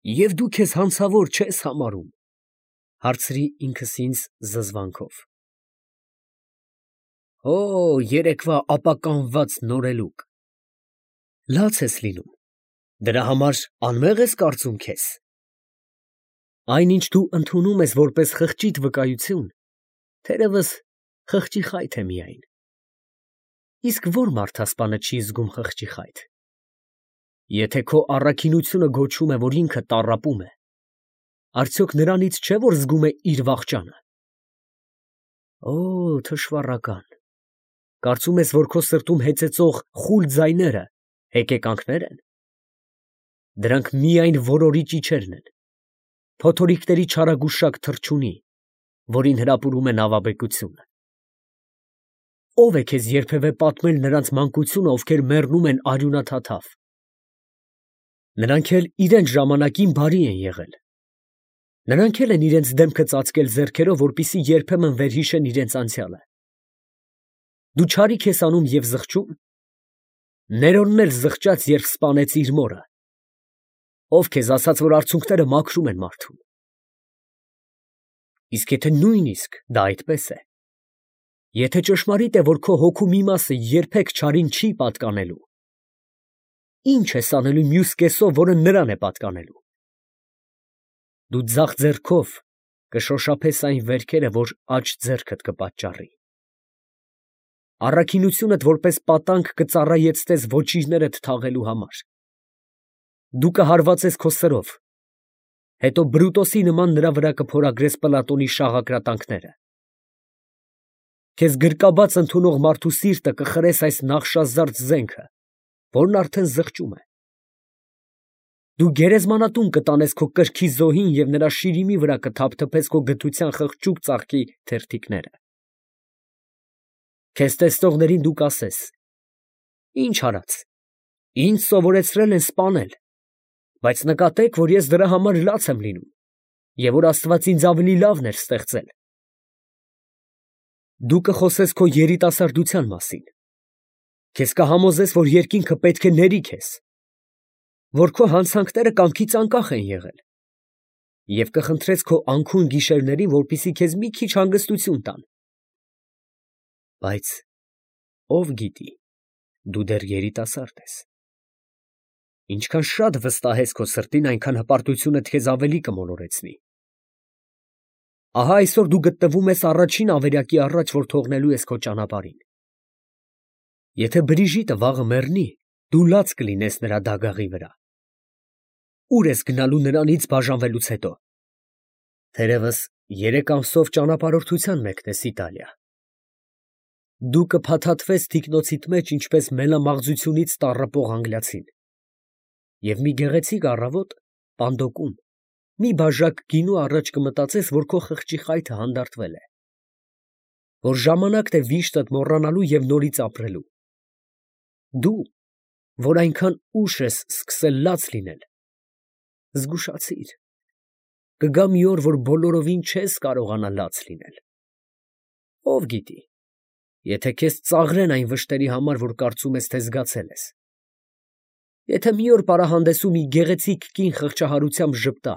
Եվ դու քեզ հանցավոր չես համարում, հարցրի ինքս ինձ զզվանքով։ Օ, երեկվա ապականված նորելուկ, լաց ես լինում, դրա համար անմեղ ես կարծում քեզ։ Այնինչ դու ընդունում ես որպես խղճիդ վկայություն, թերևս խղճի խայթ է միայն։ Իսկ ո՞ր մարդասպանը չի զգում խղճի խայթ։ Եթե քո առաքինությունը գոչում է, որ ինքը տառապում է, արդյոք նրանից չէ, որ զգում է իր վախճանը։ Օ, թշվառական, կարծում ես, որ քո սրտում հեծեծող խուլ ձայները հեկեկանքներ են։ Դրանք միայն որորի ճիչերն են, փոթորիկների չարագուշակ թռչունի, որին հրապուրում է նավաբեկությունը։ Ո՞վ է քեզ երբևէ պատմել նրանց մանկությունը, ովքեր մեռնում են արյունաթաթավ։ Նրանք էլ իրենց ժամանակին բարի են եղել։ Նրանք էլ են իրենց դեմքը ծածկել ձեռքերով, որպեսզի երբեմն վերհիշեն իրենց անցյալը։ Դու չարիք ես անում և զղջում։ Ներոնն էլ զղջաց, երբ սպանեց իր մորը։ Ով քեզ ասաց, որ արցունքները մաքրում են մարդուն։ Իսկ եթե նույնիսկ դա այդպես է, եթե ճշմարիտ է, որ քո հոգու մի մասը երբեք չարին չի պատկանելու, ի՞նչ ես անելու մյուս կեսով, որը նրան է պատկանելու։ Դու ձախ ձեռքով կշոշափես այն վերքերը, որ աջ ձեռքդ կպատճառի։ Առաքինությունդ որպես պատանկ կծառայեցնես ոչիրներդ թաղելու համար։ Դու կհարվածես քո սրով, հետո Բրուտոսի նման նրա վրա կփորագրես Պլատոնի շաղակրատանքները։ Քեզ գրկաբաց ընդունող մարդու սիրտը կխրես այս նախշազարդ զենքը, որն արդեն զղջում է։ Դու գերեզմանատուն կտանես քո կրքի զոհին և նրա շիրիմի վրա կթափթփես քո գթության խղճուկ ծաղկի թերթիկները։ Քեզ տեսնողներին դու կասես. «Ինչ արած, ինձ սովորեցրել են սպանել, բայց նկատեք, որ ես դրա համար լաց եմ լինում, և որ Աստված ինձ ավելի լավն էր ստեղծել»։ Դու կխոսես քո երիտասարդության մասին, քեզ կհամոզես, որ երկինքը պետք է ների քեզ, որ քո հանցանքները կամքից անկախ են եղել, և կխնդրես քո անքուն գիշերներին, որպեսզի քեզ մի քիչ հանգստություն տան։ Բայց ով գիտի, դու դեռ երիտասարդ ես։ Ինչքան շատ վստահես քո սրտին, այնքան հպարտությունդ քեզ ավելի կմոլորեցնի։ Ահա այսօր դու գտնվում ես առաջին ավերակի առաջ, որ թողնելու ես քո ճանապարհին։ Եթե Բրիժիտը վաղը մեռնի, դու լաց կլինես նրա դագաղի վրա։ Ո՞ւր ես գնալու նրանից բաժանվելուց հետո։ Թերևս 3 ամսով ճանապարհորդության մեկնես Իտալիա։ Դու կփաթաթվես թիկնոցիդ մեջ, ինչպես մելամաղձությունից տառապող անգլիացին։ Եվ մի գեղեցիկ առավոտ պանդոկում մի բաժակ գինու առաջ կմտածես, որ քո խղճի խայթը հանդարտվել է, որ ժամանակն է վիշտդ մոռանալու և նորից ապրելու։ Դու, որ այնքան ուշ ես սկսել լաց լինել, զգուշացիր, կգա մի օր, որ բոլորովին չես կարողանա լաց լինել։ Ով գիտի, եթե քեզ ծաղրեն այն վշտերի համար, որ կարծում ես, թե զգացել ես։ Եթե մի օր պարահանդեսում մի գեղեցիկ կին խղճահարությամբ ժպտա,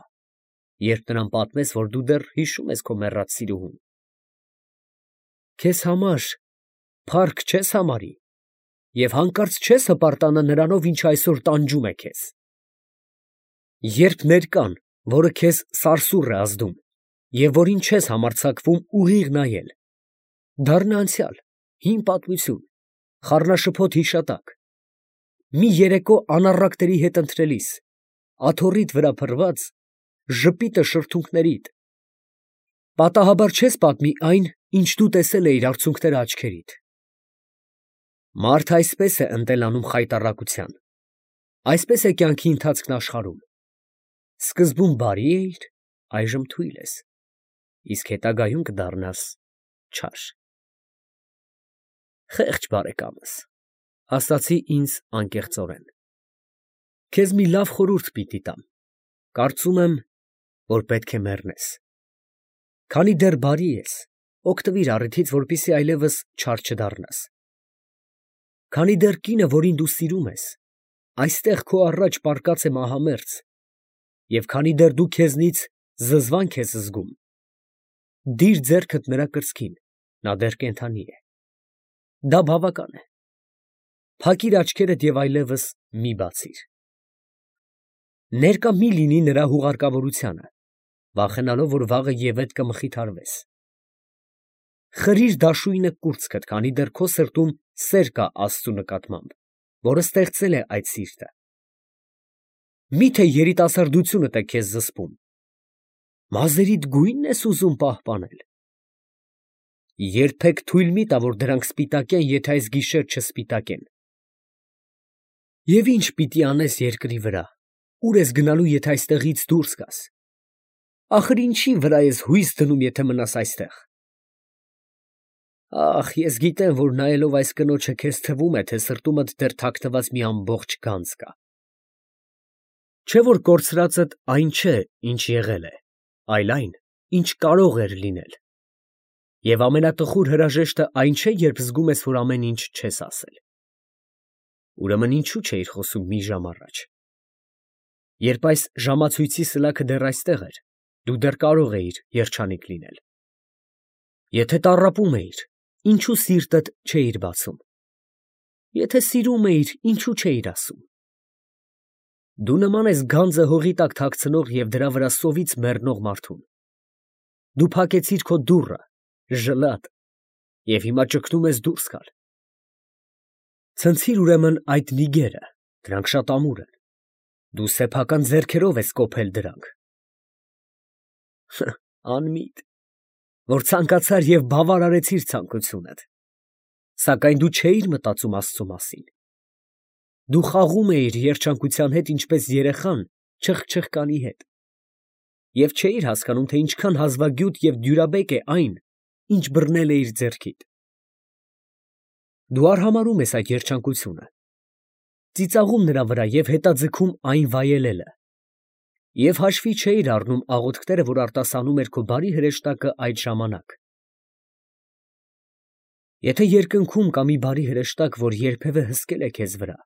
երբ նրան պատմես, որ դու դեռ հիշում ես քո մեռած սիրուհուն։ Քեզ համար փառք չես համարի և հանկարծ չես հպարտանա նրանով, ինչը այսօր տանջում է քեզ։ Երբ ներկան, որը քեզ սարսուռ է ազդում և որին չես համարձակվում ուղիղ նայել, դառնա անցյալ, հին պատմություն, խառնաշփոթ հիշատակ, մի երեկո անառակների հետ ընթրելիս, աթոռիդ վրա փռված, ժպիտը շրթունքներիդ, պատահաբար չես պատմի այն, ինչ դու տեսել էիր արցունքները աչքերիդ։ Մարդը այսպես է ընտելանում խայտառակության, այսպես է կյանքի ընթացքն աշխարհում. սկզբում բարի էիր, այժմ թույլ ես, իսկ հետագայում կդառնաս չար։ Խեղճ բարեկամս, ասացի ինձ անկեղծորեն, քեզ մի լավ խորհուրդ պիտի տամ, կարծում եմ, որ պետք է մեռնես։ Քանի դեռ բարի ես, օգտվիր առիթից, որպեսզի այլևս չար չդառնաս։ Քանի դեռ կինը, որին դու սիրում ես, այստեղ քո առաջ պառկած է մահամերձ, և քանի դեռ դու քեզնից զզվանք ես զգում, դիր ձեռքդ նրա կրծքին, նա դեռ կենդանի է։ Դա բավական է։ Փակիր աչքերդ և այլևս մի բացիր։ Ներկա մի լինի նրա հուղարկավորությանը, վախենալով, որ վաղը ևեթ կմխիթարվես։ Խրիր դաշույնը կուրծքդ, քանի դեռ քո սրտում սեր կա Աստծու նկատմամբ, որը ստեղծել է այդ սիրտը։ Մի՞թե երիտասարդությունդ է քեզ զսպում։ Մազերիդ գույնն ես ուզում պահպանել։ Երբեք թույլ մի տա, որ դրանք սպիտակեն, եթե այս գիշեր չսպիտակեն։ Եվ ի՞նչ պիտի անես երկրի վրա, ուր ես գնալու, եթե այստեղից դուրս գաս։ Ախր ինչի վրա ես հույս դնում, եթե մնաս այստեղ։ Ախ, ես գիտեմ, որ նայելով այս կնոջը քեզ թվում է, թե սրտումդ դեռ թաքնված մի ամբողջ գանձ կա։ Չէ՞ որ կորցրածդ այն չէ, ինչ եղել է, այլ այն, ինչ կարող էր լինել։ Եվ ամենատխուր հրաժեշտը այն չէ, երբ զգում ես, որ ամեն ինչ չես ասել։ Ուրեմն ինչու չէիր խոսում մի ժամ առաջ։ Երբ այս ժամացույցի սլաքը դեռ այստեղ էր, դու դեռ կարող էիր երջանիկ լինել։ Եթե տառապում էիր, ինչու սիրտդ չէիր բացում։ Եթե սիրում էիր, ինչու չէիր ասում։ Դու նման ես գանձը հողի տակ թաքցնող և դրա վրա սովից մեռնող մարդուն։ Դու փակեցիր քո դուռը, ժլատ, և հիմա ճգնում ես դուրս գալ։ Ցնցիր ուրեմն այդ նիգերը, դրանք շատ ամուր են։ Դու սեփական ձեռքերով ես կոփել դրանք։ Անմիտ, որ ցանկացար և բավարարեցիր ցանկությունդ։ Սակայն դու չէիր մտածում Աստծու մասին։ Դու խաղում էիր երջանկության հետ, ինչպես երեխան չխչխկանի հետ։ Եվ չէիր հասկանում, թե ինչքան հազվագյուտ և դյուրաբեկ է այն, ինչ բռնել է իր ձեռքիդ։ Դու արհամարհում ես այդ երջանկությունը, ծիծաղում նրա վրա և հետաձգում այն վայելելը։ Եվ հաշվի չէիր առնում աղոթքները, որ արտասանում էր քո բարի հրեշտակը այդ ժամանակ։ Եթե երկնքում կա մի բարի հրեշտակ, որ երբևէ հսկել է քեզ վրա,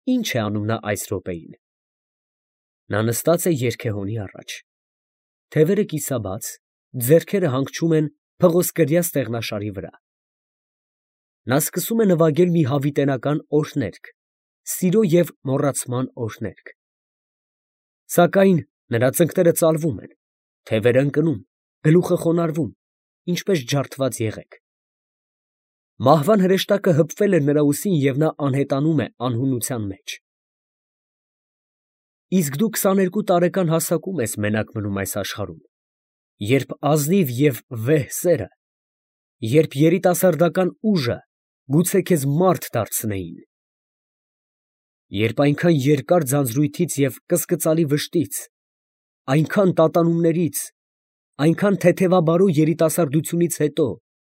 ի՞նչ է անում նա այս րոպեին։ Նա նստած է երգեհոնի առաջ, թևերը կիսաբաց, ձեռքերը հանգչում են փղոսկրյա ստեղնաշարի վրա։ Նա սկսում է նվագել մի հավիտենական օրհներգ, սիրո և մոռացման օրհներգ։ Սակայն նրա ծնկները ծալվում են, թևերը ընկնում, գլուխը խոնարհվում, ինչպես ջարդված եղեք։ Մահվան հրեշտակը հպվել է նրա ուսին և նա անհետանում է անհունության մեջ։ Իսկ դու 22 տարեկան հասակում ես մենակ մնում այս աշխարհում, երբ ազնիվ և վեհ սերը, երբ երիտասարդական ուժը գուցե քեզ մարդ դարձնեին, երբ այնքան երկար ձանձրույթից և կսկծալի վշտից, այնքան տատանումներից, այնքան թեթևաբարո երիտասարդությունից հետո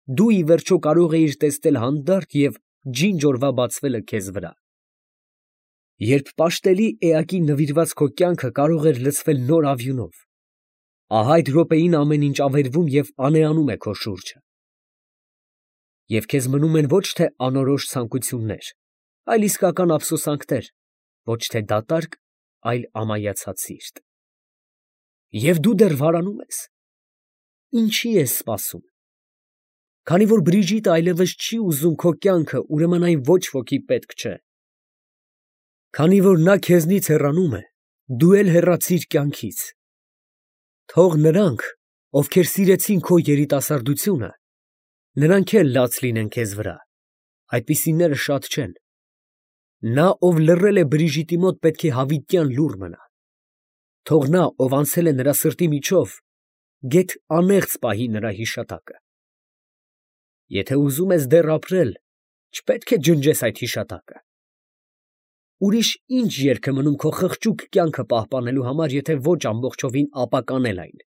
դու ի վերջո կարող էիր տեսնել հանդարտ և ջինջ օրվա բացվելը քեզ վրա, երբ պաշտելի էակի նվիրված քո կյանքը կարող էր լցվել նոր ավյունով, ահա այդ րոպեին ամեն ինչ ավերվում և անեանում է քո շուրջը։ Եվ քեզ մնում են ոչ թե անորոշ ցանկություններ, այլ իսկական ափսոսանքներ, ոչ թե դատարկ, այլ ամայացած սիրտ։ Եվ դու դեռ վարանում ես։ Ինչի ես սպասում։ Քանի որ Բրիժիտը այլևս չի ուզում քո կյանքը, ուրեմն այն ոչ ոքի պետք չէ։ Քանի որ նա քեզնից հեռանում է, դու էլ հեռացիր կյանքից։ Թող նրանք, ովքեր սիրեցին քո երիտասարդությունը, նրանք էլ լաց լինեն քեզ վրա, այդպիսիները շատ չեն։ Նա, ով լռել է Բրիժիտի մոտ, պետք է հավիտյան լուռ մնա։ Թող նա, ով անցել է նրա սրտի միջով, գեթ անեղծ պահի նրա հիշատակը։ Եթե ուզում ես դեռ ապրել, չպետք է ջնջես այդ հիշատակը։ Ուրիշ ինչ երկ է մնում քո խղճուկ կյանքը պահպանելու համար, եթե ոչ ամբողջովին ապականել այն։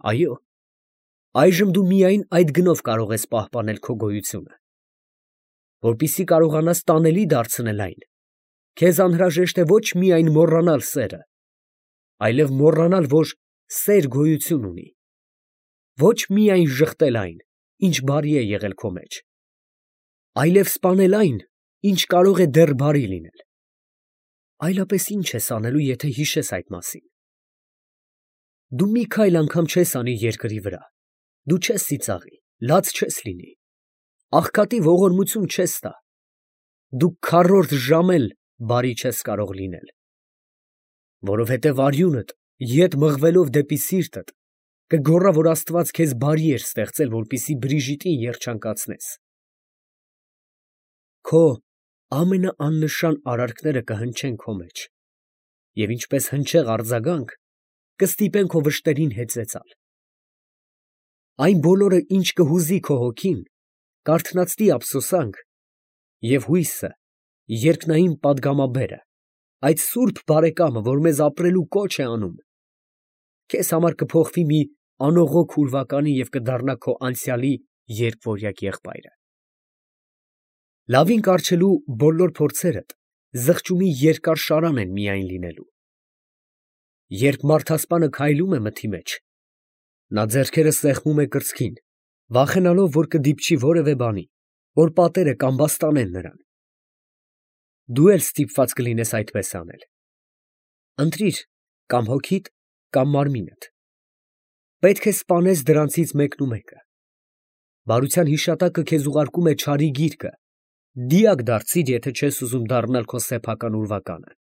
Այո, այժմ դու միայն այդ գնով կարող ես պահպանել քո գոյությունը։ Որպեսզի կարողանաս տանելի դարձնել այն, քեզ անհրաժեշտ է ոչ միայն մոռանալ սերը, այլև մոռանալ, որ սեր գոյություն ունի, ոչ միայն ժխտել այն, ինչ բարի է եղել քո մեջ, այլև սպանել այն, ինչ կարող է դեռ բարի լինել։ Այլապես ինչ ես անելու, եթե հիշես այդ մասին։ Դու մի քայլ անգամ չես անի երկրի վրա, դու չես ծիծաղի, լաց չես լինի, աղքատի ողորմություն չես տա, դու քառորդ ժամ էլ բարի չես կարող լինել, որովհետև արյունդ ետ մղվելով դեպի սիրտդ կգոռա, որ Աստված քեզ բարի էր ստեղծել, որպեսզի Բրիժիտին երջանկացնես։ Քո ամենաաննշան արարքները կհնչեն քո մեջ, և ինչպես հնչեղ արձագանք, կստիպեն քո վշտերին հեծեծալ։ Այն բոլորը, ինչ կհուզի քո հոգին, կարթնացնի ափսոսանք, և հույսը, երկնային պատգամաբերը, այդ սուրբ բարեկամը, որ մեզ ապրելու կոչ է անում, քեզ համար կփոխվի մի անողոք ուրվականի և կդառնա քո անցյալի երկվորյակ եղբայրը։ Լավին կառչելու բոլոր փորձերդ զղջումի երկար շարան են միայն լինելու։ Երբ մարդասպանը քայլում է մթի մեջ, նա ձեռքերը սեղմում է կրծքին, վախենալով, որ կդիպչի որևէ բանի, որ պատերը կամբաստանեն նրան։ Դու էլ ստիպված կլինես այդպես անել։ Ընտրիր կամ հոգիդ, կամ մարմինդ։ Պետք է սպանես դրանցից մեկնումեկը։ Բարության հիշատակը քեզ ուղարկում է չարի գիրկը, դիակ դարձիր, եթե չես ուզում դառնալ քո սեփական ուրվականը։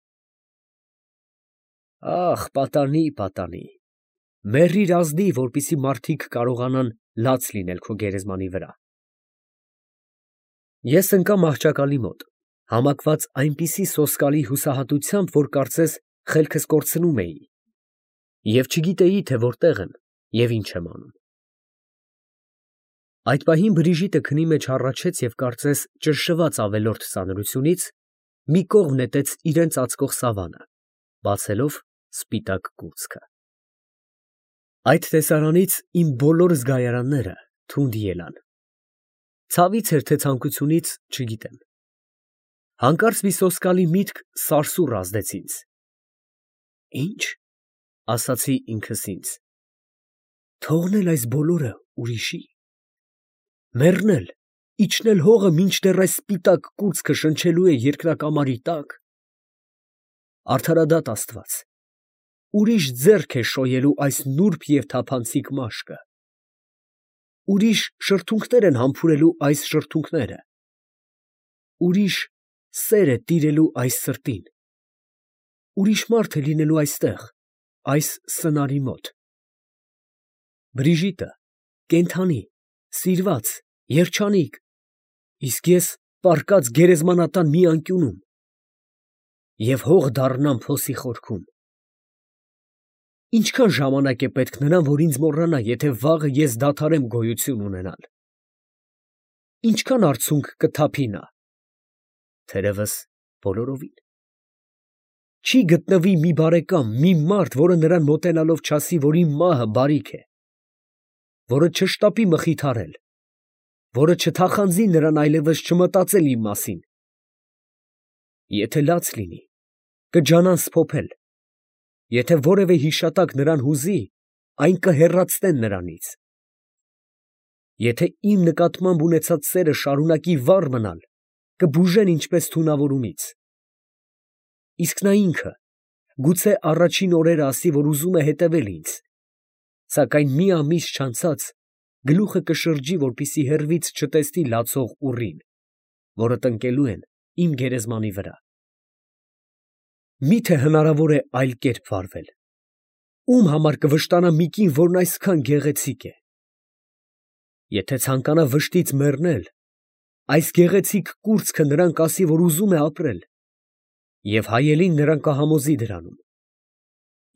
Ախ, պատանի, պատանի, մեռիր ազնիվ, որպեսզի մարդիկ կարողանան լաց լինել քո գերեզմանի վրա։ Ես ընկա մահճակալի մոտ, համակված այնպիսի սոսկալի հուսահատությամբ, որ կարծես խելքս կորցնում էի, և չգիտեի, թե որտեղ եմ և ինչ եմ անում։ Այդ պահին Բրիժիտը քնի մեջ հառաչեց և կարծես ճնշված ավելորդ ծանրությունից մի կողմ նետեց իրան ծածկող սավանը, բացելով սպիտակ կուրծքը։ Այդ տեսարանից իմ բոլոր զգայարանները թունդ ելան։ Ցավից էր, թե ցանկությունից, չգիտեմ։ Հանկարծ մի սոսկալի միտք սարսուռ ազդեց ինձ։ Ի՞նչ, ասացի ինքս ինձ, թողնել այս բոլորը ուրիշի, մեռնել, իջնել հողը, մինչդեռ այս սպիտակ կուրծքը շնչելու է երկնակամարի տակ։ Արդարադատ Աստված, ուրիշ ձեռք է շոյելու այս նուրբ և թափանցիկ մաշկը, ուրիշ շրթունքներ են համբուրելու այս շրթունքները, ուրիշ սեր է տիրելու այս սրտին, ուրիշ մարդ է լինելու այստեղ, այս սնարի մոտ։ Բրիժիտը կենդանի, սիրված, երջանիկ, իսկ ես պառկած գերեզմանատան մի անկյունում և հող դառնամ փոսի խորքում։ Ինչքան ժամանակ է պետք նրան, որ ինձ մոռանա, եթե վաղը ես դադարեմ գոյություն ունենալ։ Ինչքան արցունք կթափի նա։ Թերևս բոլորովին։ Չի գտնվի մի բարեկամ, մի մարդ, որը նրան մոտենալով չասի, որ իմ մահը բարիք է, որը չշտապի մխիթարել, որը չթախանձի նրան այլևս չմտածել իմ մասին։ Եթե լաց լինի, կջանան սփոփել, եթե որևէ հիշատակ նրան հուզի, այն կհեռացնեն նրանից։ Եթե իմ նկատմամբ ունեցած սերը շարունակի վառ մնալ, կբուժեն ինչպես թունավորումից։ Իսկ նա ինքը, գուցե առաջին օրերը ասի, որ ուզում է հետևել ինձ, սակայն մի ամիս չանցած գլուխը կշրջի, որպեսզի հեռվից չտեսնի լացող ուռին, որը տնկելու են իմ գերեզմանի վրա։ Մի՞թե հնարավոր է այլ կերպ վարվել։ Ո՞ւմ համար կվշտանա մի կին, որն այսքան գեղեցիկ է։ Եթե ցանկանա վշտից մեռնել, այս գեղեցիկ կուրծքը նրան կասի, որ ուզում է ապրել, և հայելին նրան կհամոզի դրանում։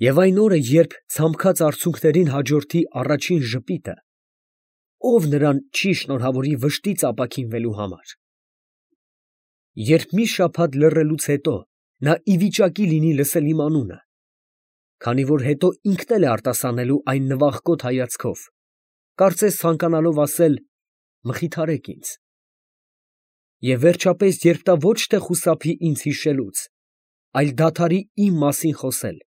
Եվ այն օրը, երբ ցամքած արցունքներին հաջորդի առաջին ժպիտը, ով նրան չի շնորհավորի վշտից ապաքինվելու համար։ Երբ մի շաբաթ լռելուց հետո նա ի վիճակի լինի լսել իմ անունը, քանի որ հետո ինքն էլ է արտասանելու այն նվախկոտ հայացքով, կարծես ցանկանալով ասել. «Մխիթարեք ինձ»։ Եվ վերջապես, երբ նա ոչ թե խուսափի ինձ հիշելուց, այլ դադարի իմ մասին խոսել,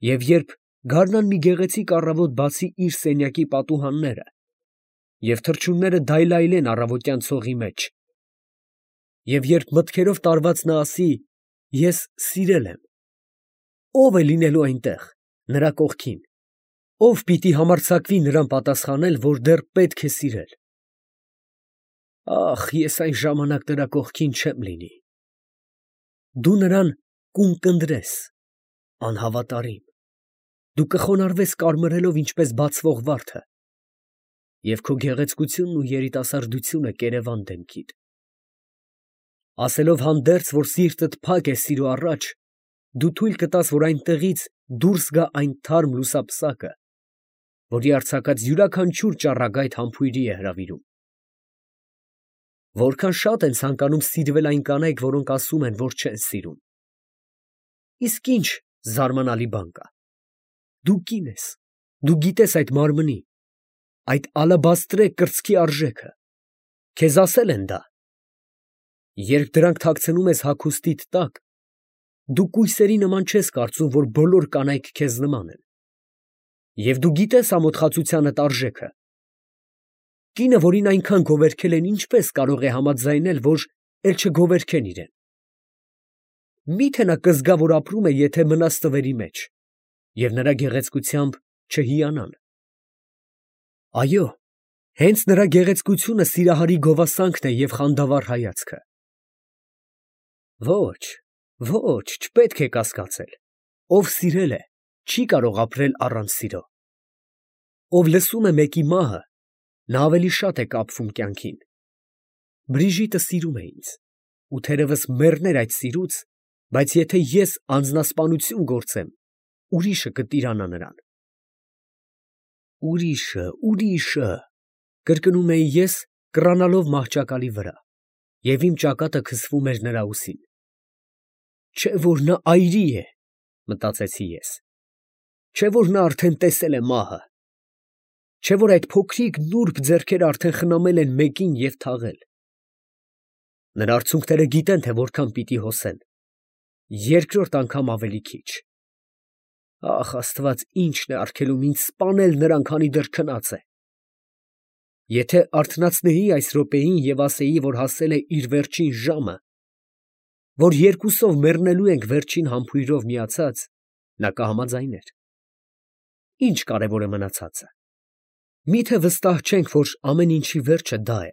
և երբ գարնան մի գեղեցիկ առավոտ բացի իր սենյակի պատուհանները, և թռչունները դայլայլեն առավոտյան ցողի մեջ, և երբ մտքերով տարված նա ասի. Ես սիրել եմ։ Ո՞վ է լինելու այնտեղ, նրա կողքին։ Ո՞վ պիտի համարձակվի նրան պատասխանել, որ դեռ պետք է սիրել։ Ախ, ես այն ժամանակ նրա կողքին չեմ լինի։ Դու նրան կունկնդրես, անհավատարիմ։ Դու կխոնարհվես կարմրելով ինչպես բացվող վարդը, և քո գեղեցկությունն ու երիտասարդությունը կերևան դեմքիդ։ Ասելով հանդերձ, որ սիրտդ փակ է սիրո առաջ, դու թույլ կտաս, որ այնտեղից դուրս գա այն թարմ լուսապսակը, որի արձակած յուրաքանչյուր ճառագայթ համբույրի է հրավիրում։ Որքան շատ են ցանկանում սիրվել այն կանայք, որոնք ասում են, որ չեն սիրում։ Իսկ ինչ զարմանալի բան կա։ Դու կին ես, դու գիտես այդ մարմնի, այդ ալաբաստրե կրծքի արժեքը, քեզ ասել են դա։ Երբ դրանք թաքցնում ես հագուստիդ տակ, դու կույսերի նման չես կարծում, որ բոլոր կանայք քեզ նման են։ Եվ դու գիտես ամոթխածությանդ արժեքը։ Կինը, որին այնքան գովերգել են, ինչպես կարող է համաձայնել, որ էլ չգովերգեն իրեն։ Մի՞թե նա կզգա, որ ապրում է, եթե մնաս տվերի մեջ, և նրա գեղեցկությամբ չհիանան։ Այո, հենց նրա գեղեցկությունը սիրահարի գովասանքն է և խանդավառ հայացքը։ Ոչ, ոչ, չպետք է կասկածել։ Ով սիրել է, չի կարող ապրել առանց սիրո։ Ով լսում է մեկի մահը, նա ավելի շատ է կապվում կյանքին։ Բրիժիտը սիրում է ինձ, ու թերևս մեռներ այդ սիրուց, բայց եթե ես անձնասպանություն գործեմ, ուրիշը կտիրանա նրան։ Ուրիշը, կրկնում էի ես, կռանալով մահճակալի վրա, և իմ ճակատը քսվում էր նրա ուսին։ Չէ՞ որ նա այրի է, մտածեցի ես։ Չէ՞ որ նա արդեն տեսել է մահը։ Չէ՞ որ այդ փոքրիկ նուրբ ձեռքերը արդեն խնամել են մեկին և թաղել։ Նրա արցունքները գիտեն, թե որքան պիտի հոսեն։ Երկրորդ անգամ ավելի քիչ։ Ախ, Աստված, ի՞նչն է արգելում ինձ սպանել նրան, քանի դեռ քնած է։ Եթե արթնացնեի այս րոպեին և ասեի, որ հասել է իր վերջին ժամը, որ երկուսով մեռնելու ենք վերջին համբույրով միացած, նա կհամաձայներ։ Ինչ կարևոր է մնացածը։ Մի՞թե վստահ չենք, որ ամեն ինչի վերջը դա է։